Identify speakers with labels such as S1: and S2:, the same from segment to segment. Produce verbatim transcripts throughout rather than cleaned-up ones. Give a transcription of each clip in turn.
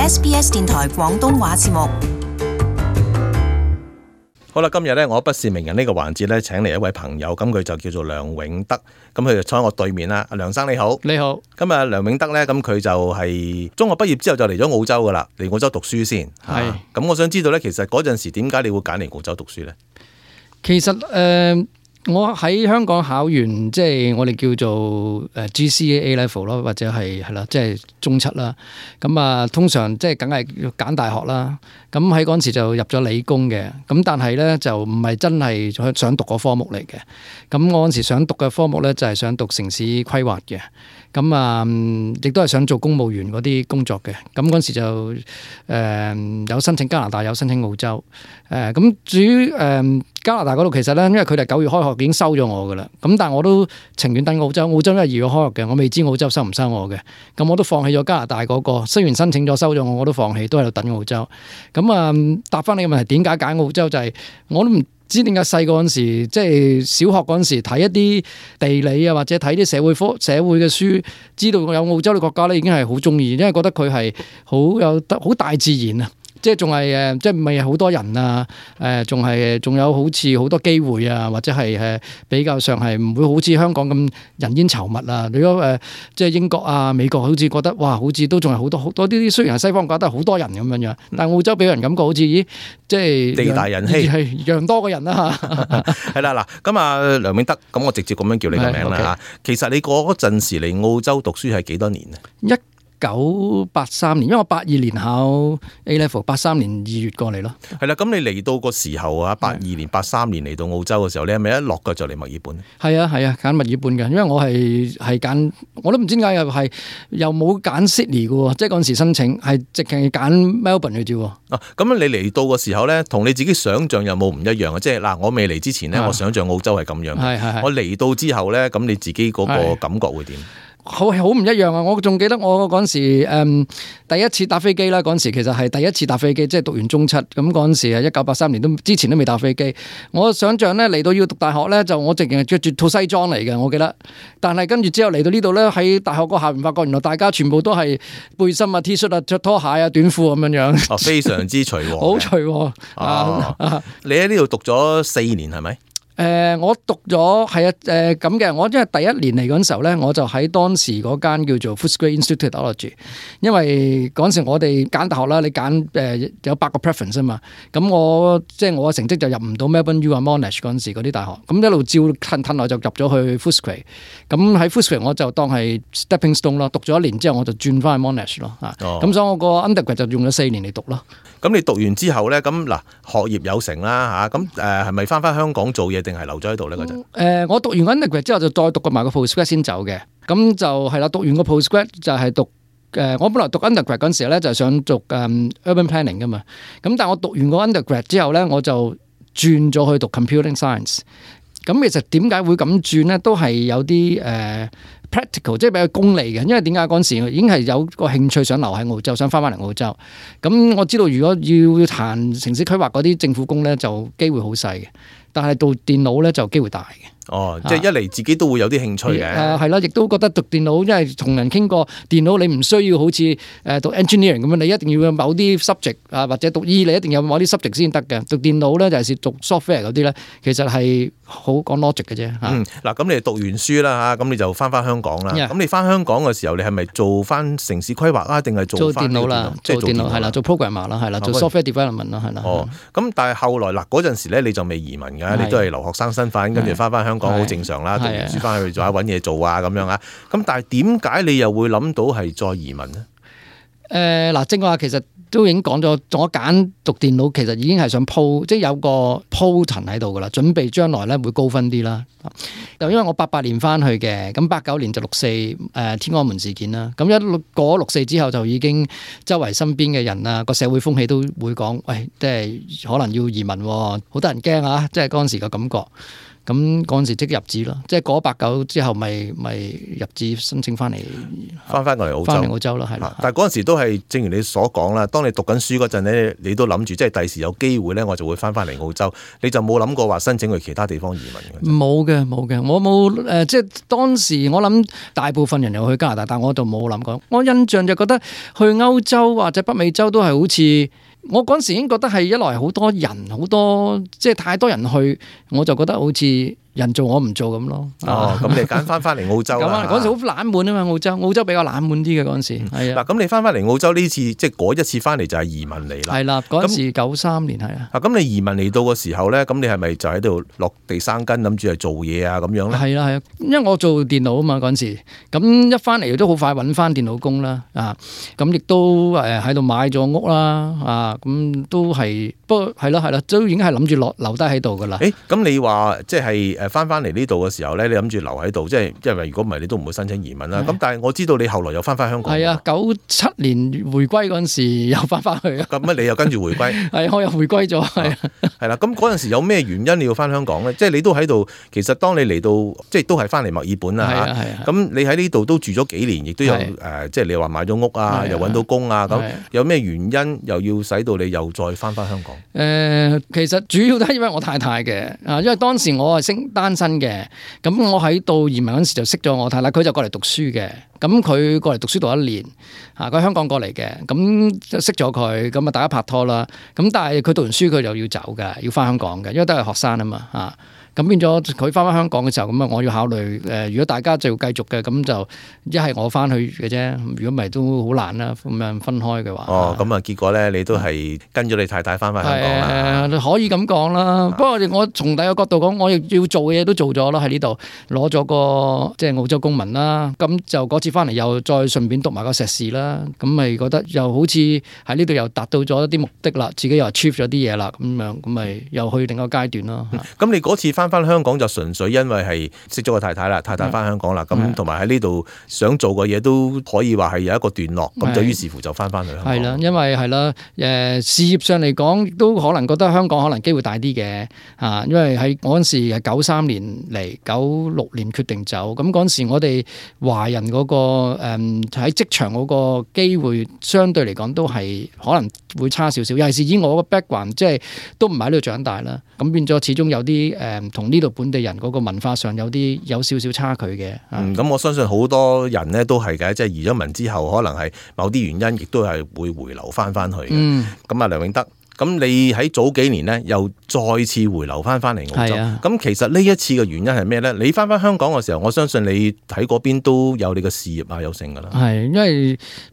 S1: S B S 電台廣東話節目。
S2: 好啦，今日咧我不是名人呢個環節咧，請嚟一位朋友，咁佢就叫做梁永德，咁佢就坐喺我對面啦。阿梁生你好，
S3: 你好。
S2: 咁啊，梁永德咧，咁佢就係中學畢業之後就嚟咗澳洲噶啦，嚟澳洲讀書先。係。咁、啊、我想知道咧，其實嗰陣時點解你會揀嚟澳洲讀書咧？
S3: 其實誒、呃，我喺香港考完，即係我哋叫做誒 G C A A level 咯，或者係係啦，即係中七啦。咁啊，通常即係梗係要揀大學啦。咁喺嗰陣時就入咗理工嘅，咁但係咧就唔係真係想讀個科目嚟嘅。咁我嗰陣時想讀嘅科目咧就係想讀城市規劃嘅。咁啊，亦都係想做公務員嗰啲工作嘅。咁嗰陣時就誒、呃、有申請加拿大，有申請澳洲。誒、呃、咁至於誒、呃、加拿大嗰度，其實咧因為佢哋九月開學已經收咗我噶啦。咁但係我都情願等澳洲。澳洲因為二月開學嘅，我未知澳洲收唔收我嘅。咁我都放棄咗加拿大嗰、嗰個。雖然申請咗收咗我，我都放棄，都喺度等澳洲。咁啊，答翻你嘅問題，點解揀澳洲就係、是、我都唔知點解細個嗰陣時，即係小學嗰陣時睇一啲地理啊，或者睇啲社會科社會嘅書，知道有澳洲嘅國家咧，已經係好中意，因為覺得佢係好有得好大自然啊。即係仲係誒，即係唔係好多人啊？誒，仲係仲有好似好多機會啊，或者係誒比較上係唔會好似香港咁人煙稠密啊。如果誒即係英國啊、美國，好似覺得哇，好似都仲係好多好多啲。雖然係西方國家都係好多人咁樣樣，但係澳洲俾人感覺好似咦，即係
S2: 地大人稀，
S3: 係讓多個人啦嚇。
S2: 係啦嗱，咁啊梁永德，咁我直接咁樣叫你個名啦嚇。其實你嗰陣時嚟澳洲讀書係幾多年啊？
S3: 一九八三年，因為我八二年考 A level， 八三年二月過嚟咯。
S2: 係啦，咁你嚟到個時候啊，八二年、八三年嚟到澳洲嘅時候，你係咪一落腳就嚟墨爾本？係
S3: 啊係啊，揀墨爾本嘅，因為我係係揀，我都唔知點解又係又冇揀 Sydney 嘅喎，即係嗰陣時申請係直情揀 Melbourne 嘅啫。
S2: 啊，咁你嚟到個時候咧，同你自己想象有冇唔一樣啊？即係嗱，我未嚟之前咧，我想象澳洲係咁樣嘅，係係係我嚟到之後咧，咁你自己嗰個感覺會點？
S3: 好好唔一樣啊！我仲記得我嗰陣時誒、嗯、第一次搭飛機啦，嗰陣時其實係第一次搭飛機，即係讀完中七咁嗰陣時係一九八三年，都之前都未搭飛機。我想象咧嚟到要讀大學咧，就我直情係着住套西裝嚟嘅，我記得。但係跟住之後嚟到呢度咧，喺大學個下面發覺，原來大家全部都係背心啊、T 恤啊、着拖鞋啊、短褲咁樣樣。
S2: 哦，非常之隨和。
S3: 好隨和。
S2: 哦啊、你喺呢度讀咗四年係咪？
S3: 誒、呃，我讀咗係啊，誒咁嘅。我因為第一年嚟嗰陣時候咧，我就喺當時嗰間叫做 Footscray Institute of Technology， 因為嗰陣時我哋揀大學啦，你揀誒、呃、有八個 preference 啊嘛。咁我即係我嘅成績就入唔到 Melbourne U 啊 Monash 嗰陣時嗰啲大學，咁一路照褪褪落就入咗去 Footscray。咁喺 Footscray 我就當係 stepping stone 咯，讀咗一年之後我就轉翻去 Monash 咯。啊、哦，咁所以我個 undergrad 就用咗四年嚟讀咯。
S2: 咁你讀完之後咧，咁嗱學業有成啦嚇，咁誒係咪翻翻香港做嘢定係留咗喺度咧嗰陣？誒，我讀完 undergrad 之後就再讀過埋個 postgrad 先走嘅，咁就係啦。讀完個 postgrad 就係讀誒，我本來讀 undergrad 嗰陣時咧就係想讀誒 urban planning 噶嘛，咁但係我讀完個 undergrad 之後咧，我就轉咗去讀 computing science。咁其實點解會咁轉咧？都係有啲誒、呃、practical，即係比較功利嘅。因為點解嗰陣時已經係有個興趣想留喺澳洲，想翻翻嚟澳洲。咁我知道如果要談城市規劃嗰啲政府工咧，就機會好細嘅。但係讀電腦咧就機會大嘅。哦，即係一嚟自己都會有啲興趣嘅。
S3: 誒係啦，亦都覺得讀電腦，因為同人傾過電腦，你唔需要好似誒讀 engineering 咁樣，你一定要有某啲 subject 啊，或者讀醫你一定有某啲 subject 先得嘅。讀電腦咧就係讀 software 嗰啲咧，其實係好講 logic 嘅啫。嗯，
S2: 嗱咁你讀完書啦嚇，咁你就翻翻香港啦。咁、yeah. 你翻香港嘅時候，你係咪做翻城市規劃啊，定係做翻
S3: 電腦啦？做電腦係啦，做 programmer 啦，係啦，做 software development 啦，係啦。
S2: 哦，咁但係後來嗱嗰陣時咧，你就未移民㗎，你都係留學生身份，跟住翻翻香港好正常啦。讀完書翻去做下揾嘢做啊咁樣啊，咁但係點解你又會諗到係再移民呢？
S3: 誒、呃、嗱，正話其實都已經講咗，我揀讀電腦其實已經係想鋪，即係有個鋪陳喺度噶啦，準備將來咧會高分啲啦。就因為我八八年翻去嘅，咁八九年就六四誒、呃、天安門事件啦，咁一過六四之後就已經周圍身邊嘅人啊，個社會風氣都會講，喂，即係可能要移民，好多人驚啊，即係嗰陣時嘅感覺。咁嗰陣時即入紙咯，即係過咗八九之後，咪咪入紙申請翻嚟，
S2: 翻翻過嚟澳洲，
S3: 翻嚟澳洲咯，係啦。
S2: 但係嗰陣時都係正如你所講啦，當你讀緊書嗰陣咧，你都諗住即係第時有機會咧，我就會翻翻嚟澳洲，你就冇諗過話申請去其他地方移民嘅？
S3: 冇嘅，冇嘅，我冇誒、呃，即係當時我諗大部分人又去加拿大，但我就冇諗過。我印象就覺得去歐洲或者北美洲都係好似。我嗰陣時已經覺得係一來好多人，好多即係太多人去，我就覺得好似人做我唔做咁咯。
S2: 哦，咁你揀翻翻嚟澳洲啦。
S3: 咁嗰陣時好冷門啊嘛，澳洲澳洲比較冷門啲嘅嗰陣時。係啊。
S2: 嗱，咁你翻翻嚟澳洲呢次，即係嗰一次翻嚟就係移民嚟啦。
S3: 係啦，嗰陣時九三年係啊。
S2: 啊，咁你移民嚟到嘅時候咧，咁你係咪就喺度落地生根，諗住係做嘢啊咁樣咧？
S3: 係啦係啊，因為我做電腦啊嘛嗰陣時，咁一翻嚟都好快揾翻電腦工啦。啊，咁亦都誒喺度買咗屋啦。啊。咁都係，不過係咯係咯，都已經係諗住落留低喺度噶啦。
S2: 誒，咁你話即係誒翻翻嚟呢度嘅時候咧，你諗住留喺度，即係因為如果唔係你都唔會申請移民啦。咁但係我知道你後來又翻翻香港。係啊，
S3: 九七年回歸嗰陣時又翻翻去啊。
S2: 咁乜你又跟住回歸？係，
S3: 我又回歸咗。係啊，
S2: 係啦。咁嗰陣時有咩原因你要翻香港咧？即係你都喺度，其實當你嚟到，即係都係翻嚟墨爾本啦。係啊係啊。咁你喺呢度都住咗幾年，亦都有誒，即係你話買咗屋啊，又揾到工啊，咁有咩原因又要使到你又再翻翻香港？誒、
S3: 呃，其實主要都係因為我太太嘅啊，因為當時我係升單身嘅，咁我喺度移民嗰時就識咗我太太，佢就過嚟讀書嘅，咁佢過嚟讀書讀一年，啊，佢喺香港過嚟嘅，咁就識咗佢，咁啊大家拍拖啦，咁但係佢讀完書佢就要走㗎，要翻香港嘅，因為都係學生啊嘛，啊。咁變咗佢翻返香港嘅時候，咁啊我要考慮誒，如果大家就要繼續嘅，咁就一係我翻去嘅啫。如果唔係都好難啦，咁樣分開嘅話。哦，
S2: 咁啊結果咧，你都係跟咗你太太翻返香港啦。
S3: 誒，可以咁講啦。不過我從第二個角度講，我亦要做嘅嘢都做咗啦，喺呢度攞咗個即係澳洲公民啦。咁就嗰次翻嚟又再順便讀埋個碩士啦。咁咪覺得又好似喺呢度又達到咗一啲目的啦，自己又 achieve 咗啲嘢啦，咁樣咁咪又去另一個階段咯。
S2: 咁你嗰次翻翻香港就純粹因為係識咗個太太啦，太太翻香港啦，咁同埋喺呢度想做嘅嘢都可以話係有一個段落，咁就於是乎就翻翻去香港。係啦，因為係啦，誒事業上嚟講都可能覺得香港可能機會大啲嘅啊，因為喺嗰陣時係九三年嚟，九六年決定走，咁嗰陣時我哋華人嗰個誒喺職場嗰個機會相對嚟講都係可能會差少少，尤其是以我個 background 即係都唔係喺度長大啦，咁變咗始終有啲誒同呢度本地人嗰個文化上有啲有少少差距嘅。嗯，咁我相信好多人咧都係嘅，即係移咗民之後，可能係某啲原因，亦都係會回流翻翻去嘅。嗯，咁啊梁永德。咁你喺早幾年咧，又再次回流翻翻嚟澳洲。咁、啊、其實呢一次嘅原因係咩咧？你翻翻香港嘅時候，我相信你喺嗰邊都有你嘅事業啊，有成噶啦。係，因為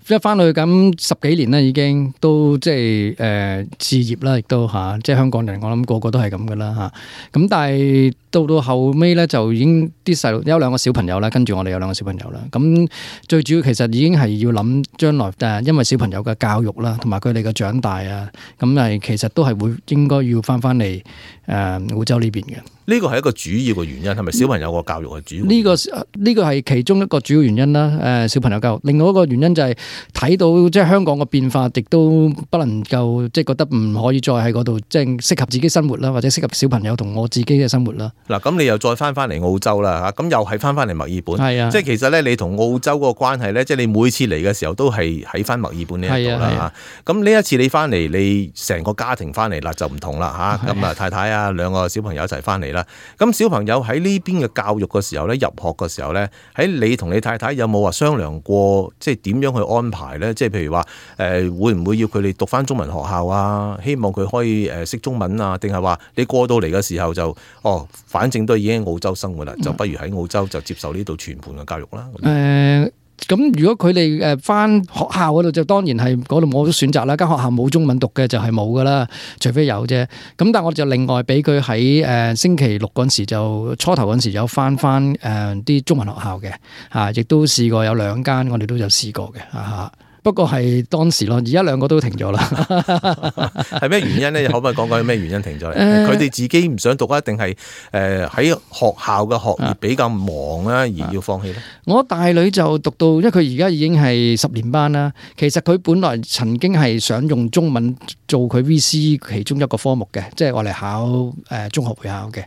S2: 一翻去咁十幾年啦，已經都即係誒事業啦，亦都嚇，即係香港人，我諗個個都係咁噶啦嚇。咁但係到到後尾咧，就已經啲細路有兩個小朋友啦，跟住我哋有兩個小朋友啦。咁最主要其實已經係要諗將來誒，因為小朋友嘅教育啦，同埋佢哋嘅長大啊，咁係。其實都係會應該要翻翻嚟誒澳洲呢邊嘅。呢個係一個主要嘅原因，係咪小朋友個教育係主要？呢、這個呢、這個係其中一個主要原因啦。誒、呃，小朋友教育，另外一個原因就係睇到即係香港嘅變化，亦都不能夠即係覺得唔可以再喺嗰度即係適合自己生活啦，或者適合小朋友同我自己嘅生活啦。嗱，咁你又再翻翻嚟澳洲啦嚇，咁又係翻翻嚟墨爾本。係啊，即係其實咧，你同澳洲嗰個關係咧，即係你每次嚟嘅時候都係喺翻墨爾本呢一度啦嚇。咁呢一次你翻嚟，你成個家庭翻嚟啦就唔同啦嚇。咁啊太太啊兩個小朋友一齊翻嚟啦。咁小朋友喺呢邊嘅教育嘅時候咧，入學嘅時候咧，喺你同你太太有冇話商量過，即係點樣去安排咧？即係譬如話誒、呃，會唔會要佢哋讀翻中文學校啊？希望佢可以誒識中文啊？定係話你過到嚟嘅時候就哦，反正都已經喺澳洲生活啦，就不如喺澳洲就接受呢度全盤嘅教育啦。誒、嗯。咁如果佢哋誒翻學校嗰度就當然係嗰度冇得選擇啦，間學校冇中文讀嘅就係冇噶啦，除非有啫。咁但係我就另外俾佢喺誒星期六嗰陣時就初頭嗰陣時有翻翻誒啲中文學校嘅嚇，亦都試過有兩間我哋都有試過嘅嚇。
S3: 不過係當時咯，而家兩個都停咗啦。
S2: 係咩原因咧？可唔可以講講咩原因停咗咧？佢哋、呃、自己唔想讀啊，定係誒喺學校嘅學業比較忙啊，而要放棄咧？
S3: 我大女就讀到，因為佢而家已經係十年班啦。其實佢本來曾經係想用中文做佢 V C 其中一個科目嘅，即係我嚟考誒中學會考嘅。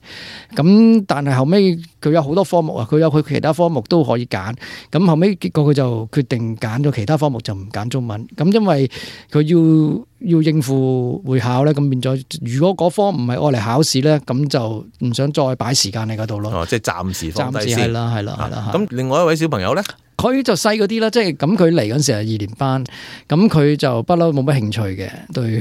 S3: 咁但係後尾佢有好多科目啊，佢有佢其他科目都可以揀。咁後尾結果佢就決定揀咗其他科目，就唔揀中文。咁因為佢要要應付會考咧，咁變咗如果嗰科唔係我嚟考試咧，咁就唔想再擺時間喺嗰度咯。
S2: 哦，即係暫時放低先。
S3: 暫時係啦，係啦，係啦。
S2: 咁另外一位小朋友咧？
S3: 佢就細嗰啲啦，即係咁佢嚟嗰陣時係二年班，咁佢就不嬲冇乜興趣嘅，對對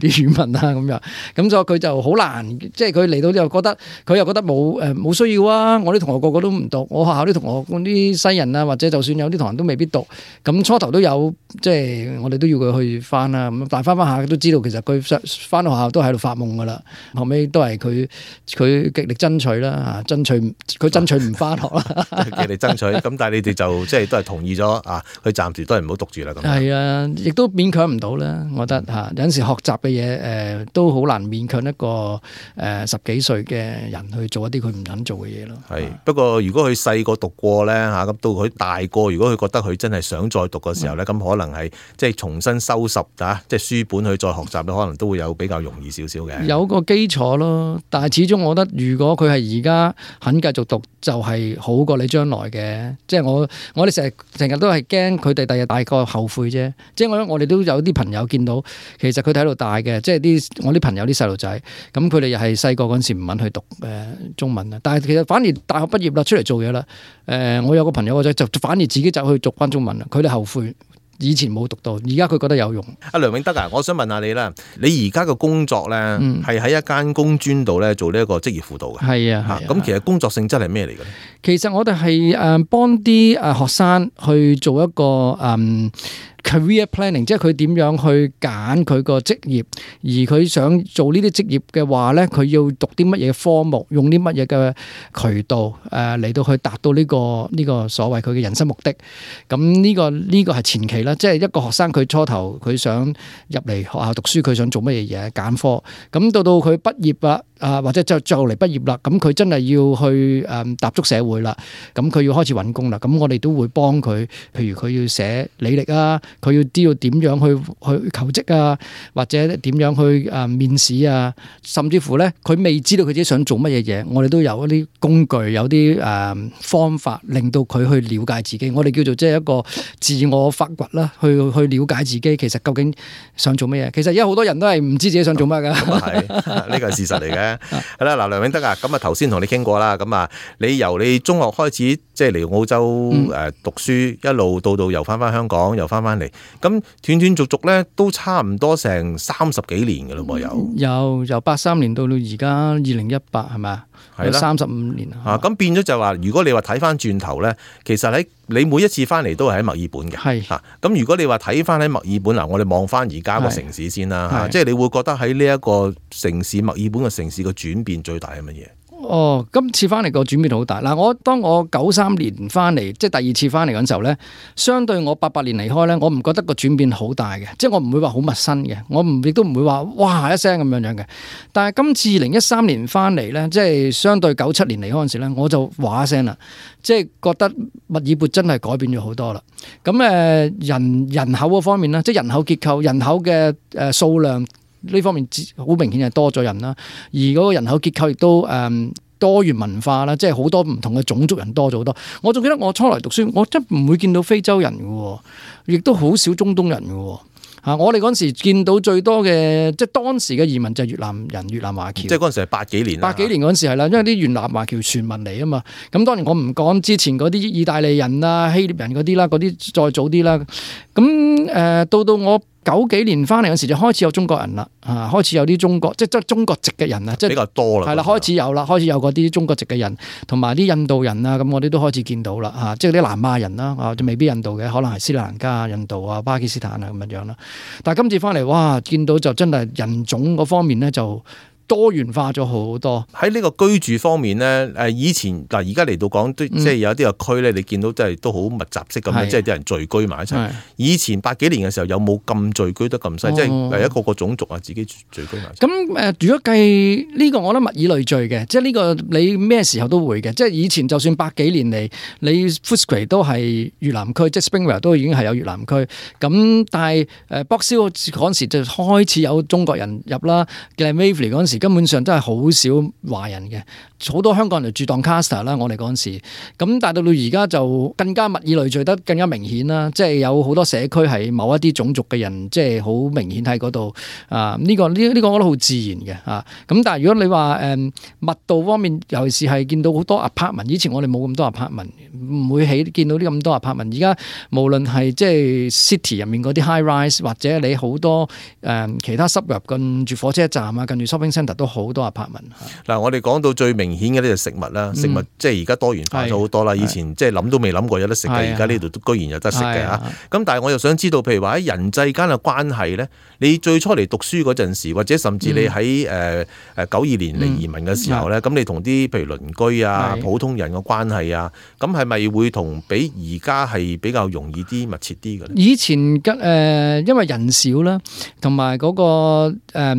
S3: 啲語文啦咁樣，咁所以佢就好難，即係佢嚟到又覺得佢又覺得冇誒冇需要啊！我啲同學個個都唔讀，我學校啲同學嗰啲西人啊，或者就算有啲同學都未必讀，咁初頭都有，即係我哋都要佢去翻啦，咁但係翻翻下都知道其實佢翻到學校都喺度發夢噶啦，後尾都係佢佢極力爭取啦，爭取佢爭取唔翻學啦，
S2: 極力爭取，咁但係你哋就即係。都係同意咗啊！佢暫時都係唔好讀住啦。咁
S3: 係啊，亦都勉強唔到啦。我覺得嚇有陣時學習嘅嘢誒都好難勉強一個誒、呃、十幾歲嘅人去做一啲佢唔肯做嘅嘢咯。
S2: 係不過如果佢細個讀過咧嚇，咁到佢大個，如果佢覺得佢真係想再讀嘅時候咧，咁、嗯、可能係即係重新收拾啊，即係書本去再學習咧，可能都會有比較容易少少嘅。有
S3: 個基礎咯，但係始終我覺得，如果佢係而家肯繼續讀，就係、是、好過你將來嘅。即係我我哋成日成日都係驚佢哋第日大個後悔啫。即係我我哋都有啲朋友見到，其實佢哋喺度大嘅，即係啲我啲朋友啲細路仔，咁佢哋又係細個嗰陣時唔肯去讀誒中文啊。但係其實反而大學畢業啦，出嚟做嘢啦。誒，我有個朋友個仔就反而自己走去讀翻中文啦。佢哋後悔以前冇讀到，而家佢覺得有用。阿梁永德啊，我想問下你啦，你而家嘅工作咧係喺一間工專度咧做呢一個職業輔導嘅。係啊，咁其實工作性質係咩嚟嘅咧？其實我哋係誒幫啲誒學生去做一個誒。嗯 career planning， 即係佢點樣去揀佢個職業，而佢想做呢啲職業嘅話咧，佢要讀啲乜嘢科目，用啲乜嘢嘅渠道誒嚟到去達到呢個呢個所謂佢嘅人生目的。咁呢個呢個係前期啦，即係一個學生佢初頭佢想入嚟學校讀書，佢想做乜嘢嘢揀科，咁到到佢畢業啦。啊，或者就就嚟畢業啦，咁佢真係要去誒踏足社會啦，咁佢要開始揾工啦，咁我哋都會幫佢，譬如佢要寫履歷啊，佢要知道點樣去去求職啊，或者點樣去誒面試啊，甚至乎咧佢未知道佢自己想做乜嘢嘢，我哋都有一啲工具，有啲誒方法令到佢去了解自己，我哋叫做即係一個自我發掘啦，去去了解自己其實究竟想做乜嘢。其實而家好多人都係唔知自己想做乜㗎，咁啊係，呢個係事實嚟嘅。係啦，嗱，梁永德啊，咁啊頭先同你傾過啦，咁啊，你由你中學開始即係嚟澳洲誒讀書，嗯、一路到到又翻翻香港，又翻翻嚟，咁斷斷續續咧都差唔多成三十幾年嘅咯噃，有有由八三年到到而家二零一八係咪啊？係啦，三十五年啊！咁變咗就話，如果你話睇翻轉頭咧，其實喺你每一次翻嚟都係喺墨爾本嘅，係嚇。咁如果你話睇翻喺墨爾本嗱，我哋望翻而家個城市先啦嚇，即係你會覺得喺呢一個城市墨爾本嘅城市個轉變最大係乜嘢？哦，今次翻嚟個轉變好大嗱！我當我九三年翻嚟，即係第二次翻嚟嗰陣時候咧，相對我八八年離開咧，我唔覺得個轉變好大嘅，即係我唔會話好陌生嘅，我唔亦都唔會話哇一聲咁樣樣嘅。但係今次二零一三年翻嚟咧，即係相對九七年離開嗰陣時咧，我就話一聲啦，即係覺得墨爾本真係改變咗好多啦。咁誒人人口嗰方面咧，即係人口結構、人口嘅誒數量。呢方面好明顯係多咗人啦，而嗰個人口結構亦都誒、嗯、多元文化啦，即係好多唔同嘅種族人多咗好多。我仲記得我初來讀書，我真唔會見到非洲人嘅，亦都好少中東人嘅。嚇！我哋嗰陣時見到最多嘅，即係當時嘅移民就係越南人、越南華僑。即係嗰陣時係八幾年。八幾年嗰陣時係啦，因為啲越南華僑傳聞嚟啊嘛。咁當然我唔講之前嗰啲意大利人啊、希臘人嗰啲啦，嗰啲再早啲啦。咁誒、呃、到到我九幾年翻嚟嗰時就開始有中國人啦，啊開始有啲中國即係即係中國籍嘅人啊，即係比較多啦。係啦，開始有啦，開始有嗰啲中國籍嘅人，同埋啲印度人啊，咁我哋都開始見到啦，嚇，即係啲南亞人啦，啊就未必印度嘅，可能係斯里蘭卡、印度啊、巴基斯坦啊咁樣樣啦。但係今次翻嚟，哇，見到就真係人種嗰方面咧就多元化咗好多。
S2: 喺呢個居住方面咧，誒以前嗱而家嚟到講，即係有啲個區咧，你見到真係都好密集式咁樣，即係啲人聚居埋一齊。以前八幾年嘅時候有冇咁聚居得咁犀？即係一個個種族啊，自己聚居埋。
S3: 咁誒，如果計呢個，我覺得物以類聚嘅，即係呢個你咩時候都會嘅。即係以前就算百幾年嚟，你 Footscray 都係越南區，即係 Springvale 都已經係有越南區。咁但係誒 Box Hill嗰陣時就開始有中國人入啦。Glenmaveney 嗰陣時根本上真係好少華人嘅，好多香港人就住 Doncaster 啦。我哋嗰陣時，咁但係到到而家就更加物以類聚得更加明顯啦。即係有好多社區係某一啲種族嘅人，即係好明顯喺嗰度啊。呢個呢呢個我覺得好自然嘅啊。咁但係如果你話誒、嗯、密度方面，尤其是係見到好多 apartment， 以前我哋冇咁多 apartment， 唔會起見到啲咁多 apartment。而家無論係即係 city 入面嗰啲 high rise， 或者你好多誒、嗯、其他 suburb 近住火車站啊，近住 shopping centre 都好多 apartment。嗱，
S2: 我哋講到最明顯嘅呢就食物啦，食物、嗯、即係而家多元化咗好多啦。以前即係諗都未諗過有得食嘅，而家呢度都居然有得食嘅嚇。咁但係我又想知道，譬如話喺人際間嘅關係咧，你最初嚟讀書嗰陣時，或者甚至你喺誒誒九二年嚟移民嘅時候咧，咁、嗯、你同啲譬如鄰居啊、普通人嘅關係啊，咁係咪會同比而家係比較容易啲、密切啲嘅咧？以
S3: 前嘅誒、呃，因為人少啦，同埋嗰個誒、呃、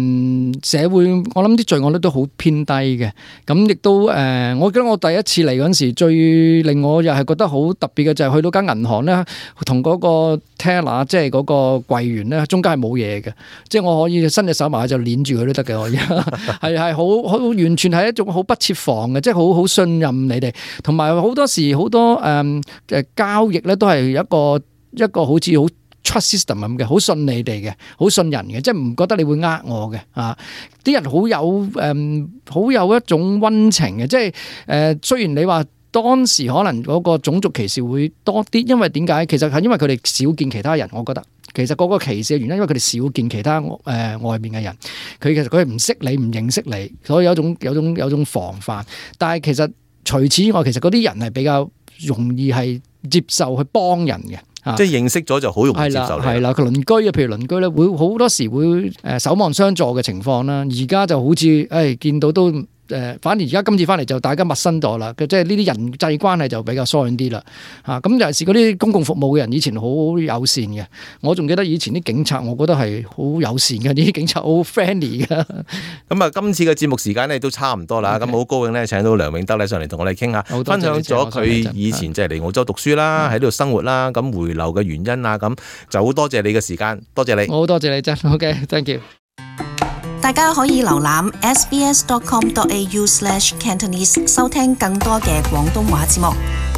S3: 社會，我諗啲罪案率都好偏低嘅。咁亦都誒、呃，我記得我第一次嚟嗰陣時，最令我又係覺得好特別嘅就係、是、去到間銀行咧，同嗰個 teller 即係嗰個櫃員咧，中間係冇嘢嘅，即係我可以伸隻手埋去就捏住佢都得嘅，可以係係好好完全係一種好不設防嘅，即係好好信任你哋，同埋好多時好多誒誒、呃、交易咧都係一個一個好似好 trust system 咁嘅，好信你哋嘅，好信人嘅，即係唔覺得你會呃我嘅啊！啲人好有誒好、呃、有一種溫情嘅，即係誒、呃、雖然你話當時可能嗰個種族歧視會多啲，因為點解？其實係因為佢哋少見其他人，我覺得其實嗰個歧視嘅原因，因為佢哋少見其他誒、呃、外面嘅人，佢其實佢係唔識你，唔認識你，所以有一種有一種有一種防範。但係其實除此之外，其實嗰啲人係比較容易係接受去幫人嘅。
S2: 即係認識咗就好容易接受你。
S3: 係啦，佢鄰居啊，譬如鄰居咧，會好多時會誒守望相助嘅情況啦。而家就好似誒、哎、見到都誒、呃，反而而家今次翻嚟就大家陌生咗啦。即係呢啲人際關係就比較疏遠啲啦。嚇咁尤其是嗰啲公共服務嘅人，以前好友善嘅。我仲記得以前啲警察，我覺得係好友善嘅，啲警察好 friendly 嘅。咁
S2: 啊，今次嘅節目時間咧都差唔多啦。咁、okay. 好高興咧請到梁永德咧上嚟同我哋傾下，分享咗佢以前即係嚟澳洲讀書啦，喺呢度生活啦，咁回流嘅原因啊，咁就好多謝你嘅時間，多謝你。
S3: 好多謝你真 ，OK，thank you。
S1: 大家可以瀏覽 sbs dot com dot a u slash cantonese 收聽更多嘅廣東話節目。